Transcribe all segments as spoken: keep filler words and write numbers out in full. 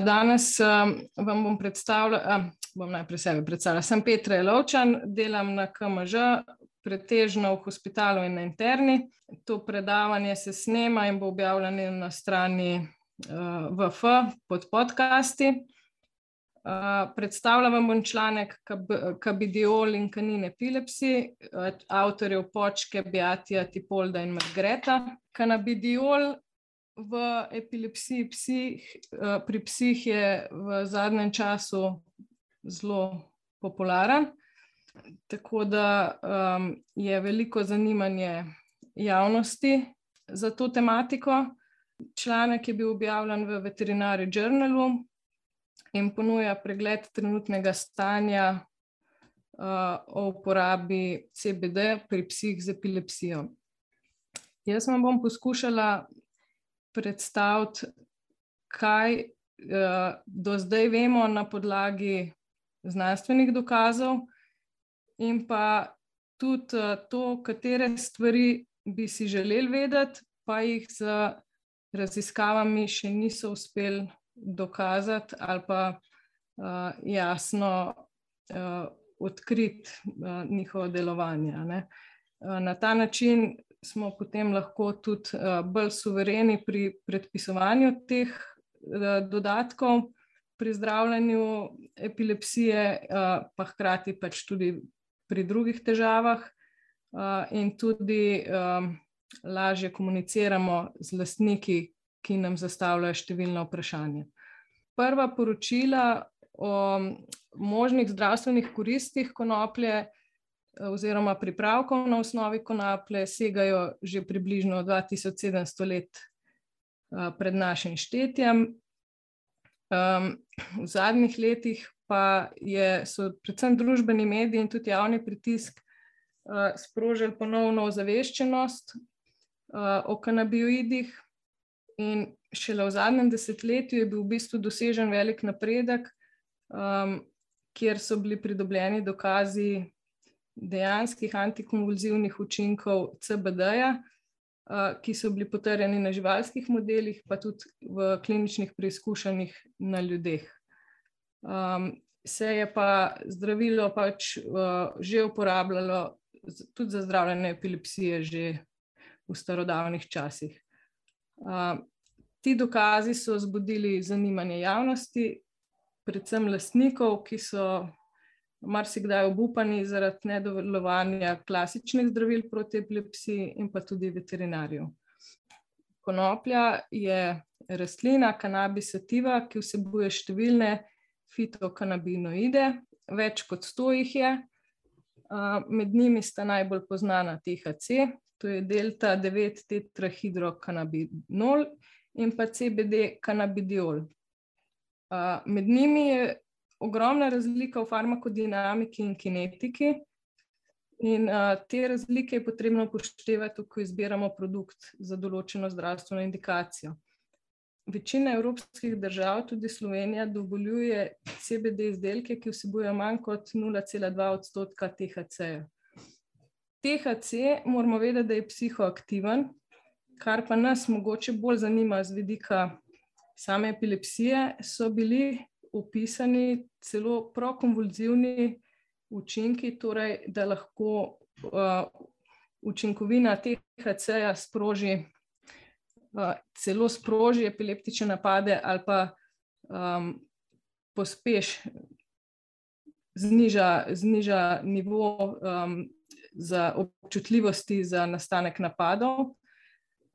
Danes vam bom predstavila, bom najprej sebe predstavila. Sem Petra Jelovčan, delam na K M Ž, pretežno v hospitalu in na interni. To predavanje se snema in bo objavljeno na strani V F pod podcasti. Predstavila vam bom članek Cannabidiol in Canine Epilepsy, avtorjev Počke, Beatija, Tipolda in Margreta. Cannabidiol v epilepsiji psih, pri psih je v zadnjem času zelo popularen, tako da um, je veliko zanimanje javnosti za to tematiko. Članek je bil objavljen v Veterinary Journalu in ponuja pregled trenutnega stanja uh, o uporabi C B D pri psih z epilepsijo. Jaz vam bom poskušala predstaviti, kaj uh, do zdaj vemo na podlagi znanstvenih dokazov in pa tudi uh, to, katere stvari bi si želeli vedeti, pa jih z raziskavami še niso uspeli dokazati ali pa uh, jasno uh, odkriti uh, njihovo delovanje, ne. Uh, na ta način smo potem lahko tudi uh, bolj suvereni pri predpisovanju teh uh, dodatkov pri zdravljenju epilepsije, uh, pa hkrati pač tudi pri drugih težavah uh, in tudi um, lažje komuniciramo z lastniki, ki nam zastavljajo številna vprašanja. Prva poročila o možnih zdravstvenih koristih konoplje oziroma pripravkov na osnovi konoplje segajo že približno dva tisoč sedemsto let pred našim štetjem. V zadnjih letih pa je, so predvsem družbeni mediji in tudi javni pritisk sprožili ponovno ozaveščenost o kanabinoidih in šele v zadnjem desetletju je bil v bistvu dosežen velik napredek, kjer so bili pridobljeni dokazi dejanskih antikonvulzivnih učinkov C B D-ja, ki so bili potrjeni na živalskih modelih, pa tudi v kliničnih preizkušanjih na ljudeh. Se je pa zdravilo pač že uporabljalo tudi za zdravljenje epilepsije že v starodavnih časih. Ti dokazi so vzbudili zanimanje javnosti, predvsem lastnikov, ki so marsikdaj obupani zaradi nedelovanja klasičnih zdravil proti epilepsiji in pa tudi veterinarjev. Konoplja je rastlina Cannabis sativa, ki vsebuje številne fitokanabinoide, več kot sto jih je. Med njimi sta najbolj poznana T H C, to je delta devet tetrahidrokannabinol in pa C B D cannabidiol. Med njimi je ogromna razlika v farmakodinamiki in kinetiki in te razlike je potrebno upoštevati, ko izbiramo produkt za določeno zdravstveno indikacijo. Večina evropskih držav, tudi Slovenija, dovoljuje C B D izdelke, ki vsebujejo manj kot nula cela dva odstotka T H C-ja. T H C moramo vedeti, da je psihoaktiven, kar pa nas mogoče bolj zanima z vidika same epilepsije, so bili opisani celo prokonvulzivni učinki, torej da lahko uh, učinkovina T H C-ja sproži, uh, celo sproži epileptične napade ali pa um, pospeš, zniža, zniža nivo um, za občutljivosti za nastanek napadov.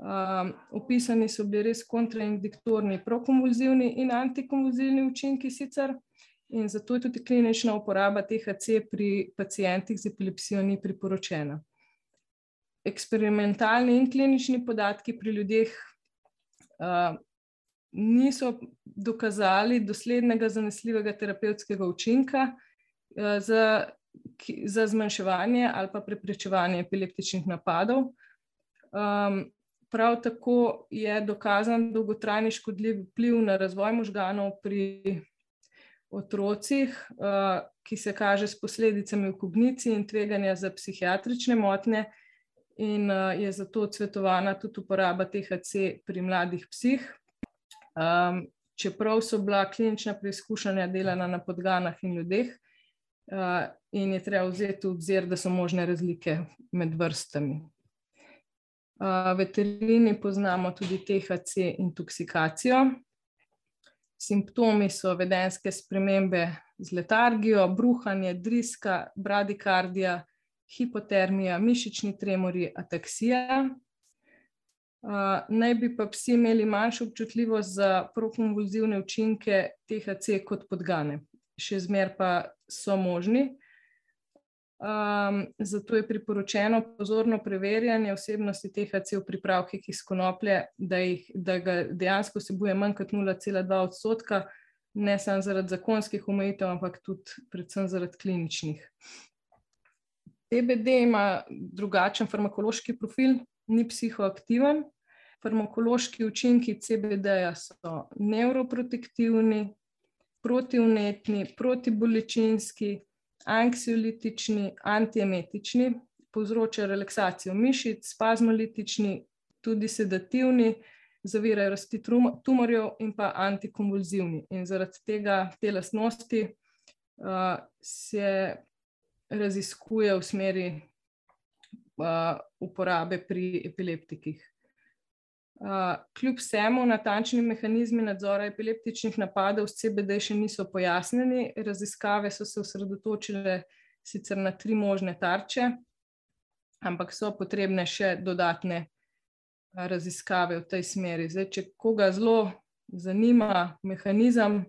Um, opisani so bili res kontraindiktorni prokonvulzivni in antikonvulzivni učinki sicer in zato je tudi klinična uporaba T H C pri pacientih z epilepsijo ni priporočena. Eksperimentalni in klinični podatki pri ljudeh uh, niso dokazali doslednega zanesljivega terapevtskega učinka uh, za, ki, za zmanjševanje ali pa preprečevanje epileptičnih napadov. Um, Prav tako je dokazan dolgotrajni škodljiv vpliv na razvoj možganov pri otrocih, ki se kaže s posledicami v kogniciji in tveganja za psihiatrične motnje in je zato odsvetovana tudi uporaba T H C pri mladih psih. čeprav so bila klinična preizkušanja delana na podganah in ljudeh, in je treba vzeti v obzir, da so možne razlike med vrstami. V veterini poznamo tudi T H C intoksikacijo. Simptomi so vedenjske spremembe z letargijo, bruhanje, driska, bradikardija, hipotermija, mišični tremori, ataksija. Naj bi pa psi imeli manjšo občutljivost za prokonvulzivne učinke T H C kot podgane. Še zmeraj pa so možni. Um, zato je priporočeno pozorno preverjanje vsebnosti T H C v pripravkih iz konoplje, da, jih, da ga dejansko vsebuje manj kot nula cela dva odstotka, ne samo zaradi zakonskih omejitev, ampak tudi predvsem zaradi kliničnih. C B D ima drugačen farmakološki profil, ni psihoaktiven. Farmakološki učinki C B D-ja so nevroprotektivni, protivnetni, protibolečinski, anksiolitični, antiemetični, povzročajo relaksacijo mišic, spazmolitični, tudi sedativni, zavirajo rasti tumorjev in pa antikonvulzivni. In zaradi tega te lastnosti uh, se raziskuje v smeri uh, uporabe pri epileptikih. Uh, kljub vsemu natančni mehanizmi nadzora epileptičnih napadov s C B D še niso pojasnjeni. Raziskave so se osredotočile sicer na tri možne tarče, ampak so potrebne še dodatne uh, raziskave v tej smeri. Zdaj, če koga zelo zanima mehanizem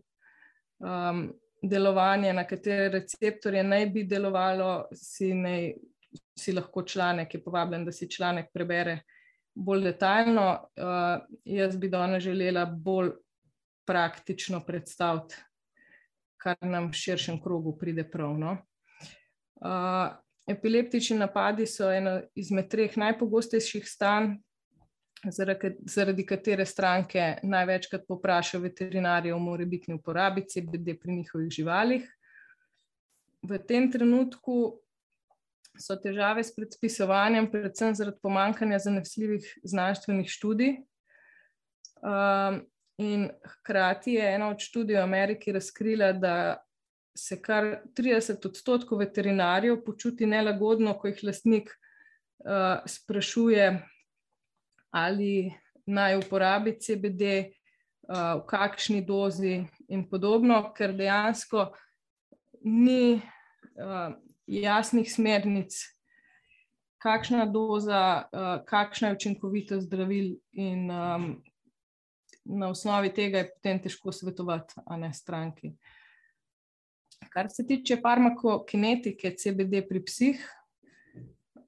um, delovanja, na katere receptorje naj bi delovalo, si, naj, si lahko članek, je povabljen, da si članek prebere bolj detaljno. Uh, jaz bi danes želela bolj praktično predstaviti, kar nam v širšem krogu pride prav. No? Uh, epileptični napadi so eno izmed treh najpogostejših stanj, zaradi, zaradi katere stranke največkrat povprašajo veterinarje o morebitni uporabi C B D pri njihovih živalih. V tem trenutku so težave s predpisovanjem, predvsem zaradi pomanjkanja zanesljivih znanstvenih študij. Um, in hkrati je ena od študij v Ameriki razkrila, da se kar trideset odstotkov veterinarjev počuti nelagodno, ko jih lastnik uh, sprašuje, ali naj uporabi C B D, uh, v kakšni dozi in podobno, ker dejansko ni uh, jasnih smernic, kakšna doza, uh, kakšna je učinkovitost zdravil in um, na osnovi tega je potem težko svetovati, a ne stranki. Kar se tiče farmakokinetike C B D pri psih,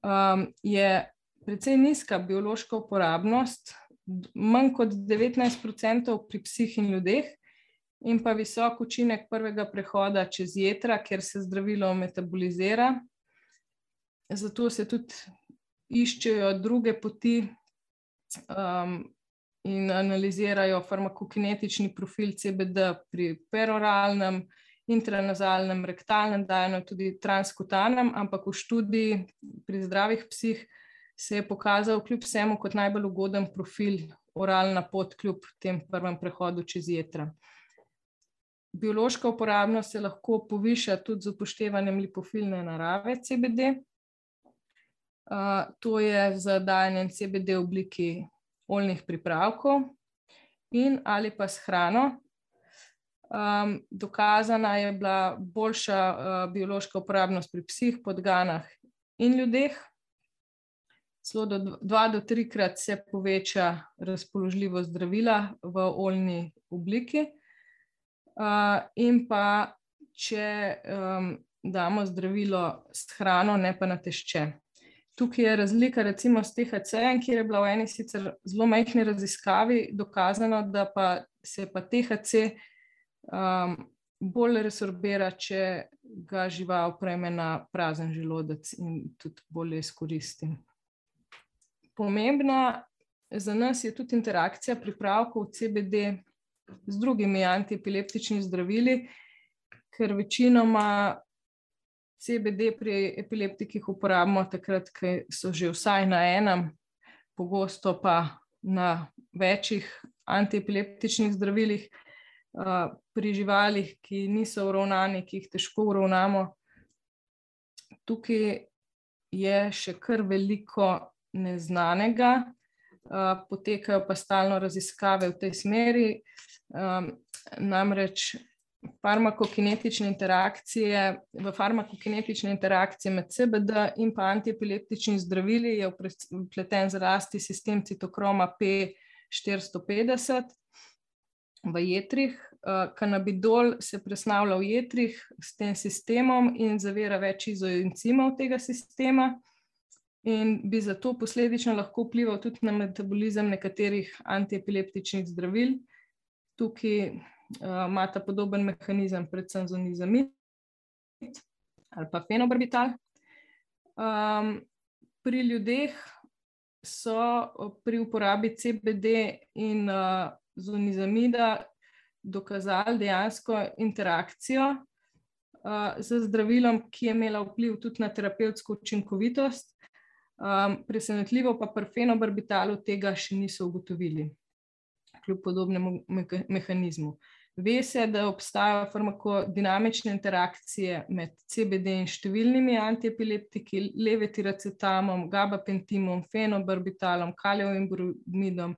um, je precej nizka biološka uporabnost, manj kot devetnajst procentov pri psih in ljudeh, in pa visok učinek prvega prehoda čez jetra, kjer se zdravilo metabolizira. Zato se tudi iščejo druge poti um, in analizirajo farmakokinetični profil C B D pri peroralnem, intranazalnem, rektalnem dajanju, tudi transkutanem, ampak v študiji pri zdravih psih se je pokazal kljub vsemu kot najbolj ugoden profil oralna pot kljub tem prvem prehodu čez jetra. Biološka uporabnost se lahko poviša tudi z upoštevanjem lipofilne narave C B D. Uh, to je z dajanjem C B D v obliki oljnih pripravkov in ali pa s hrano. Um, dokazana je bila boljša uh, biološka uporabnost pri psih, podganah in ljudeh. Celo do dva do trikrat se poveča razpoložljivost zdravila v oljni obliki. Uh, in pa, če um, damo zdravilo s hrano, ne pa na tešče. Tukaj je razlika recimo s T H C-jem, kjer je bila v eni sicer zelo majhni raziskavi dokazano, da pa se pa T H C um, bolj resorbira, če ga žival prejme na prazen želodec in tudi bolje izkoristi. Pomembna za nas je tudi interakcija pripravkov C B D z drugimi antiepileptičnimi zdravili, ker večinoma C B D pri epileptikih uporabimo takrat, ko so že vsaj na enem, pogosto pa na večjih antiepileptičnih zdravilih. pri živalih, ki niso uravnani, ki jih težko uravnamo. Tukaj je še kar veliko neznanega, potekajo pa stalno raziskave v tej smeri, namreč farmakokinetične interakcije, v farmakokinetične interakcije med C B D in pa antiepileptični zdravili je vpleten zlasti sistem citokroma P štiristo petdeset v jetrih. Kanabidol se presnavlja v jetrih s tem sistemom in zavira več izoencimov tega sistema in bi zato posledično lahko vplival tudi na metabolizem nekaterih antiepileptičnih zdravil. Tukaj imata podoben mehanizem predvsem zonizamid ali pa fenobarbital. Pri ljudeh so pri uporabi C B D in zonizamida dokazali dejansko interakcijo z zdravilom, ki je imela vpliv tudi na terapevtsko učinkovitost. Presenetljivo pa pri fenobarbitalu tega še niso ugotovili, kljub podobnemu mehanizmu. Ve se, da obstajajo farmakodinamične interakcije med C B D in številnimi antiepileptiki, levetiracetamom, gabapentimom, fenobarbitalom, kalievim bromidom,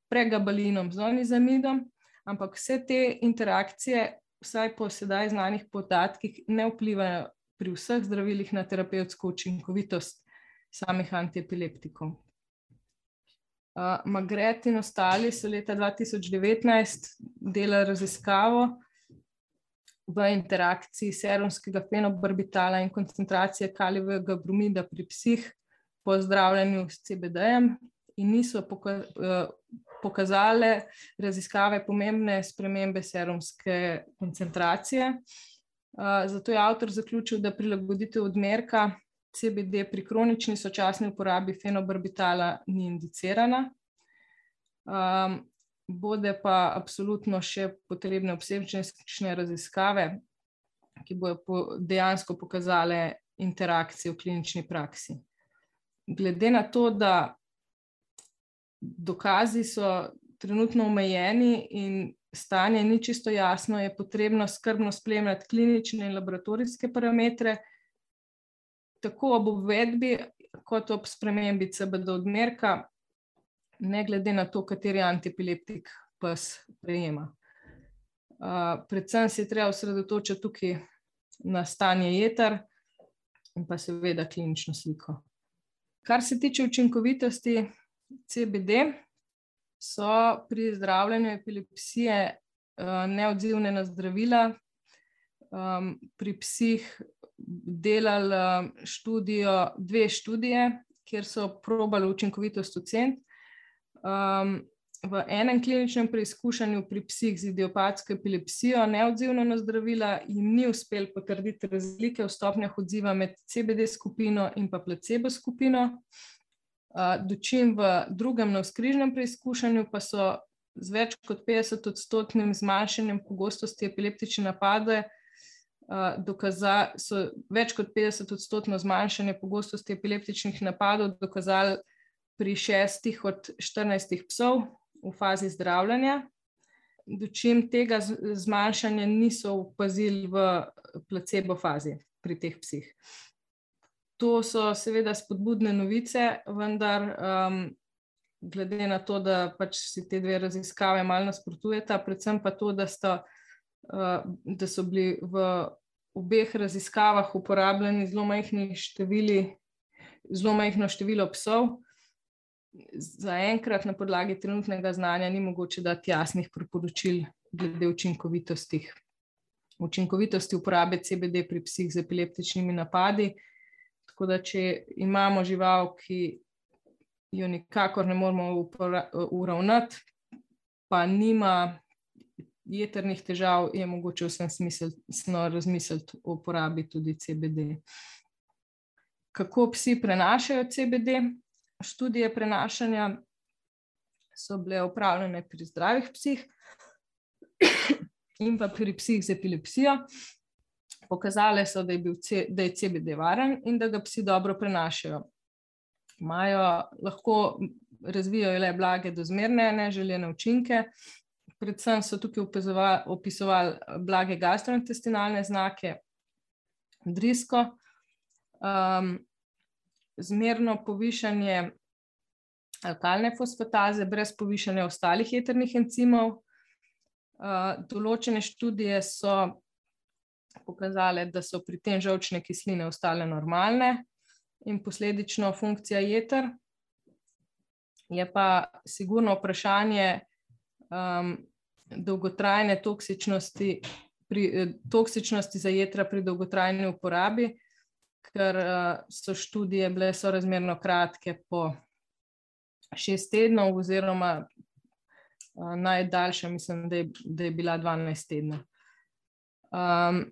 pregabalinom, zonizamidom, ampak vse te interakcije, vsaj po sedaj znanih podatkih, ne vplivajo pri vseh zdravilih na terapevtsko učinkovitost samih antiepileptikov. Magret in ostali so leta dva tisoč devetnajst delali raziskavo v interakciji serumskega fenobarbitala in koncentracije kalievega bromida pri psih po zdravljenju s C B D-jem in niso pokazale raziskave pomembne spremembe serumske koncentracije. Zato je avtor zaključil, da prilagoditev odmerka C B D pri kronični sočasni uporabi fenobarbitala ni indicirana. Bode pa absolutno še potrebne obsežnejše raziskave, ki bodo dejansko pokazale interakcije v klinični praksi. Glede na to, da dokazi so trenutno omejeni in stanje ni čisto jasno, je potrebno skrbno spremljati klinične in laboratorijske parametre, tako ob uvedbi kot ob spremembi C B D odmerka, ne glede na to, kateri antiepileptik pes prejema. Predvsem se je treba osredotočiti tukaj na stanje jeter in pa seveda klinično sliko. Kar se tiče učinkovitosti C B D, so pri zdravljenju epilepsije neodzivne na zdravila. Pri psih delali študijo, dve študije, kjer so probali učinkovitost oceniti. V enem kliničnem preizkušanju pri psih z idiopatsko epilepsijo neodzivno na zdravila jim ni uspelo potrditi razlike v stopnjah odziva med C B D skupino in pa placebo skupino. Dočim v drugem navzkrižnem preizkušanju pa so z več kot petdeset odstotnim zmanjšanjem pogostosti epileptične napade dokazali, so več kot petdeset odstotno zmanjšanje pogostosti epileptičnih napadov dokazali pri šestih od štirinajstih psov v fazi zdravljenja, dočim tega zmanjšanja niso opazili v placebo fazi pri teh psih. To so seveda spodbudne novice, vendar glede na to, da pač si te dve raziskave malo nasprotujeta, predvsem pa to, da sta da so bili v obeh raziskavah uporabljeni zelo majhni števili, zelo majhno število psov. Zaenkrat na podlagi trenutnega znanja ni mogoče dati jasnih priporočil glede učinkovitosti. Učinkovitosti uporabe C B D pri psih z epileptičnimi napadi. Tako da, če imamo žival, ki jo nikakor ne moremo uravnati, pa nima jetrnih težav, je mogoče vsem smiselno razmisliti o uporabi tudi C B D. Kako psi prenašajo C B D? Študije prenašanja so bile opravljene pri zdravih psih in pa pri psih z epilepsijo. Pokazale so, da je bil C, da je C B D varen in da ga psi dobro prenašajo. Imajo, lahko razvijajo le blage do zmerne neželjene učinke, predvsem so tukaj opisovali, opisovali blage gastrointestinalne znake, drisko, um, zmerno povišanje alkalne fosfataze brez povišanja ostalih jetrnih encimov. Uh, določene študije so pokazale, da so pri tem žolčne kisline ostale normalne in posledično funkcija jeter. Je pa sigurno vprašanje um, dolgotrajne toksičnosti, pri, toksičnosti za jetra pri dolgotrajni uporabi, ker uh, so študije bile sorazmerno kratke po šest tednov oziroma uh, najdaljša, mislim, da je, da je bila dvanajst tednov. Um,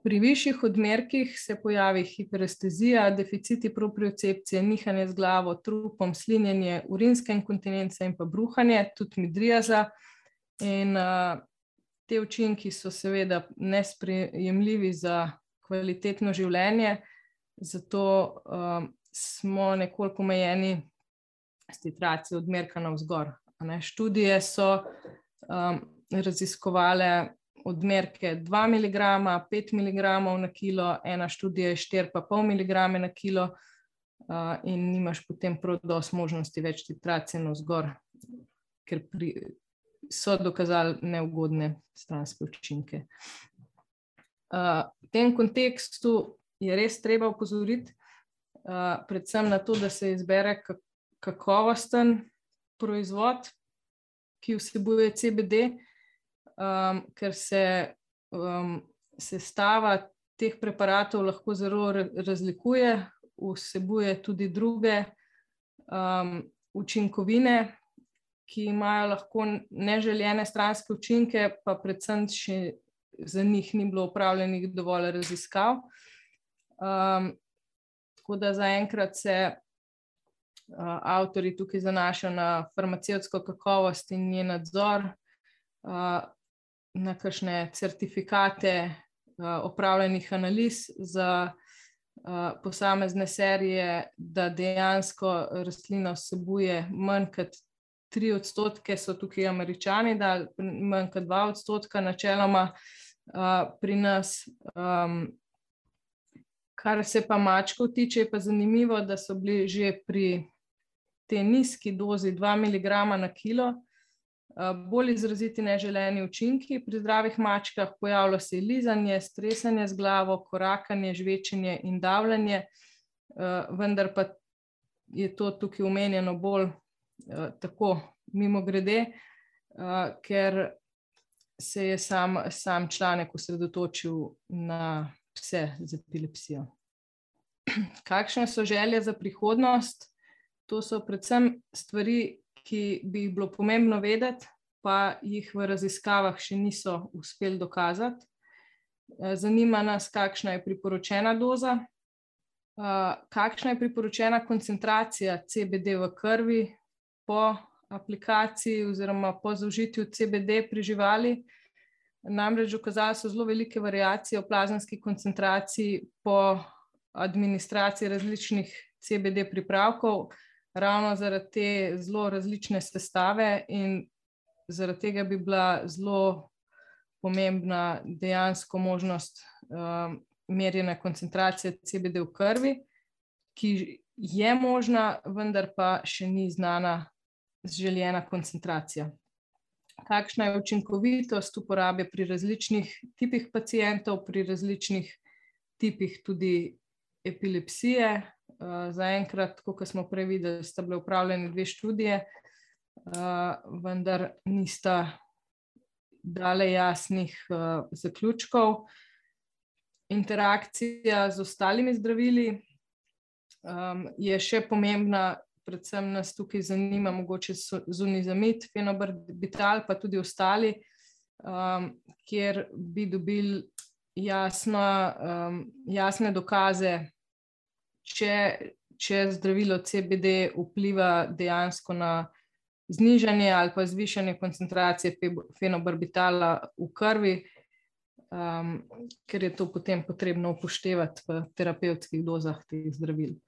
pri višjih odmerkih se pojavi hiperestezija, deficiti propriocepcije, nihanje z glavo, trupom, slinjenje, urinska inkontinenca in pa bruhanje, tudi midriaza. In uh, te učinki so seveda nesprejemljivi za kvalitetno življenje, zato um, smo nekoliko omejeni s titracijo odmerka navzgor. Študije so um, raziskovale odmerke dva miligrama, pet miligramov na kilo, ena študija je štiri pa pol miligrame na kilo uh, in nimaš potem prav dosti možnosti več titracije navzgor, ker pri, so dokazali neugodne stranske učinke. Uh, v tem kontekstu je res treba opozoriti uh, predvsem na to, da se izbere kakovosten proizvod, ki vsebuje C B D, Um, ker se um, sestava teh preparatov lahko zelo razlikuje, vsebuje tudi druge um, učinkovine, ki imajo lahko neželjene stranske učinke, pa predvsem še za njih ni bilo opravljenih dovolj raziskav. Um, tako da zaenkrat se uh, avtorji tukaj zanašajo na farmacevtsko kakovost in njen nadzor, uh, na kakšne certifikate uh, opravljenih analiz za uh, posamezne serije, da dejansko rastlina vsebuje manj kot tri odstotke, so tukaj Američani dali, manj kot dva odstotka načeloma uh, pri nas. Um, kar se pa mačkov tiče, je pa zanimivo, da so bili že pri tej nizki dozi dva miligrama na kilo bolj izraziti neželeni učinki. Pri zdravih mačkah pojavlja se lizanje, stresanje z glavo, korakanje, žvečenje in davljanje, vendar pa je to tukaj omenjeno bolj tako mimogrede, ker se je sam, sam članek osredotočil na pse z epilepsijo. Kakšne so želje za prihodnost? To so predvsem stvari, ki bi jih bilo pomembno vedeti, pa jih v raziskavah še niso uspeli dokazati. Zanima nas, kakšna je priporočena doza, kakšna je priporočena koncentracija C B D v krvi po aplikaciji oziroma po zaužitju C B D pri živali. Namreč dokazali so zelo velike variacije v plazemski koncentraciji po administraciji različnih C B D pripravkov, ravno zaradi te zelo različne sestave in zaradi tega bi bila zelo pomembna dejansko možnost um, merjene koncentracije C B D v krvi, ki je možna, vendar pa še ni znana željena koncentracija. Kakšna je učinkovitost uporabe pri različnih tipih pacientov, pri različnih tipih tudi epilepsije. Zaenkrat, kot smo prej videli, sta bile opravljene dve študije, vendar nista dale jasnih zaključkov. Interakcija z ostalimi zdravili je še pomembna, predvsem nas tukaj zanima mogoče zunizamid, fenobarbital, pa tudi ostali, kjer bi dobili jasne dokaze, Če, če zdravilo C B D vpliva dejansko na znižanje ali pa zvišanje koncentracije fenobarbitala v krvi, um, ker je to potem potrebno upoštevati v terapevtskih dozah teh zdravil.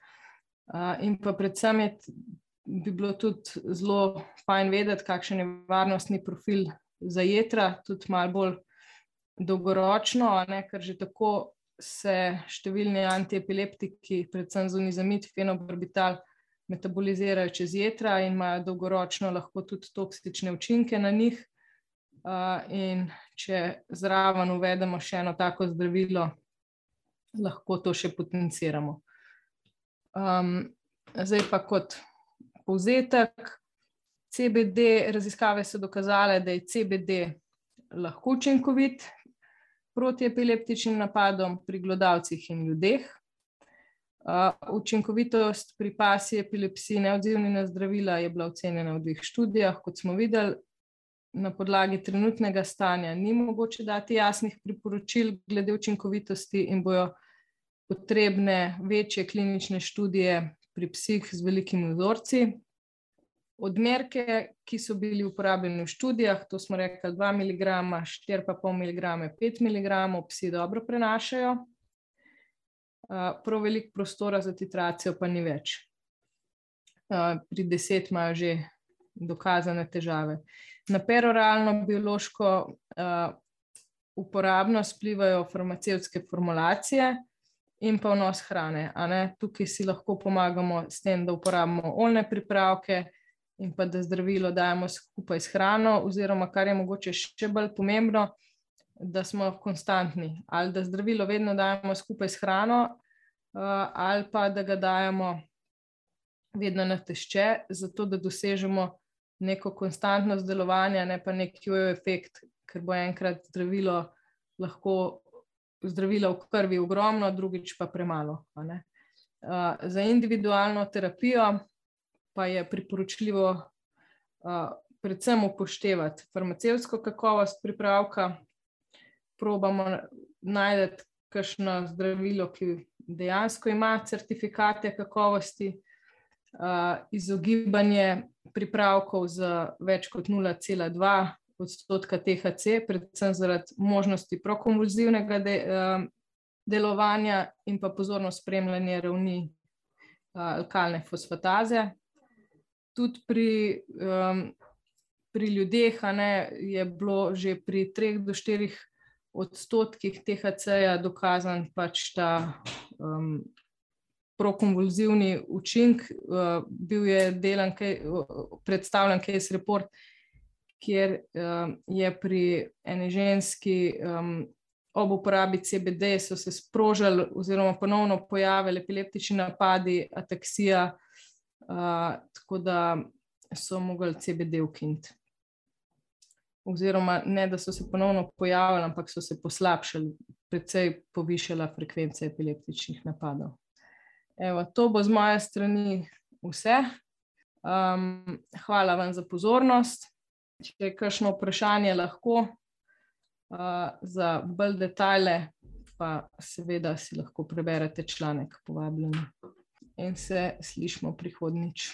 Uh, in pa predvsem je, bi bilo tudi zelo fajn vedeti, kakšen je varnostni profil za jetra, tudi malo bolj dolgoročno, ne, ker že tako se številni antiepileptiki, predvsem zunizamid, fenobarbital, metabolizirajo čez jetra in imajo dolgoročno lahko tudi toksične učinke na njih. Uh, in če zraven uvedemo še eno tako zdravilo, lahko to še potenciramo. Um, zdaj pa kot povzetek, C B D, raziskave so dokazale, da je C B D lahko učinkovit proti epileptičnim napadom pri glodavcih in ljudeh. Uh, učinkovitost pri pasji epilepsiji neodzivni na zdravila je bila ocenjena v dveh študijah, kot smo videli. Na podlagi trenutnega stanja ni mogoče dati jasnih priporočil glede učinkovitosti in bojo potrebne večje klinične študije pri psih z velikimi vzorci. Odmerke, ki so bili uporabljeni v študijah, to smo rekli dva miligrama, štiri pa pol miligrama, pet miligramov, psi dobro prenašajo. Prav veliko prostora za titracijo pa ni več. Pri deset imajo že dokazane težave. Na peroralno biološko uh, uporabnost vplivajo farmacevtske formulacije in pa vnos hrane. A ne? Tukaj si lahko pomagamo s tem, da uporabimo oljne pripravke in pa da zdravilo dajemo skupaj s hrano, oziroma kar je mogoče še bolj pomembno, da smo konstantni. Ali da zdravilo vedno dajemo skupaj s hrano, uh, ali pa da ga dajemo vedno na tešče, zato da dosežemo neko konstantnost delovanja, ne pa nek jojo efekt, ker bo enkrat zdravilo lahko zdravila v krvi ogromno, drugič pa premalo. A ne? Uh, za individualno terapijo pa je priporočljivo uh, predvsem upoštevati farmacevtsko kakovost pripravka, probamo najti kakšno zdravilo, ki dejansko ima certifikate kakovosti, uh, izogibanje pripravkov z več kot nula cela dva odstotka T H C, predvsem zaradi možnosti prokonvulzivnega de, uh, delovanja in pa pozorno spremljanje ravni uh, alkalne fosfataze. Tudi pri, um, pri ljudeh a ne, je bilo že pri treh do štirih odstotkih T H C-ja dokazan pač ta um, prokonvulzivni učink. Uh, bil je delan, uh, predstavljen case report, kjer uh, je pri eni ženski um, ob uporabi C B D so se sprožili oziroma ponovno pojavili epileptični napadi, ataksija, uh, tako da so mogli C B D ukiniti. Oziroma ne, da so se ponovno pojavili, ampak so se poslabšali, precej povišala frekvenca epileptičnih napadov. Evo, to bo z moje strani vse. Um, hvala vam za pozornost. Če je kakšno vprašanje, lahko uh, za bolj detajle, pa seveda si lahko preberete članek, povabljeni. In se slišimo prihodnjič.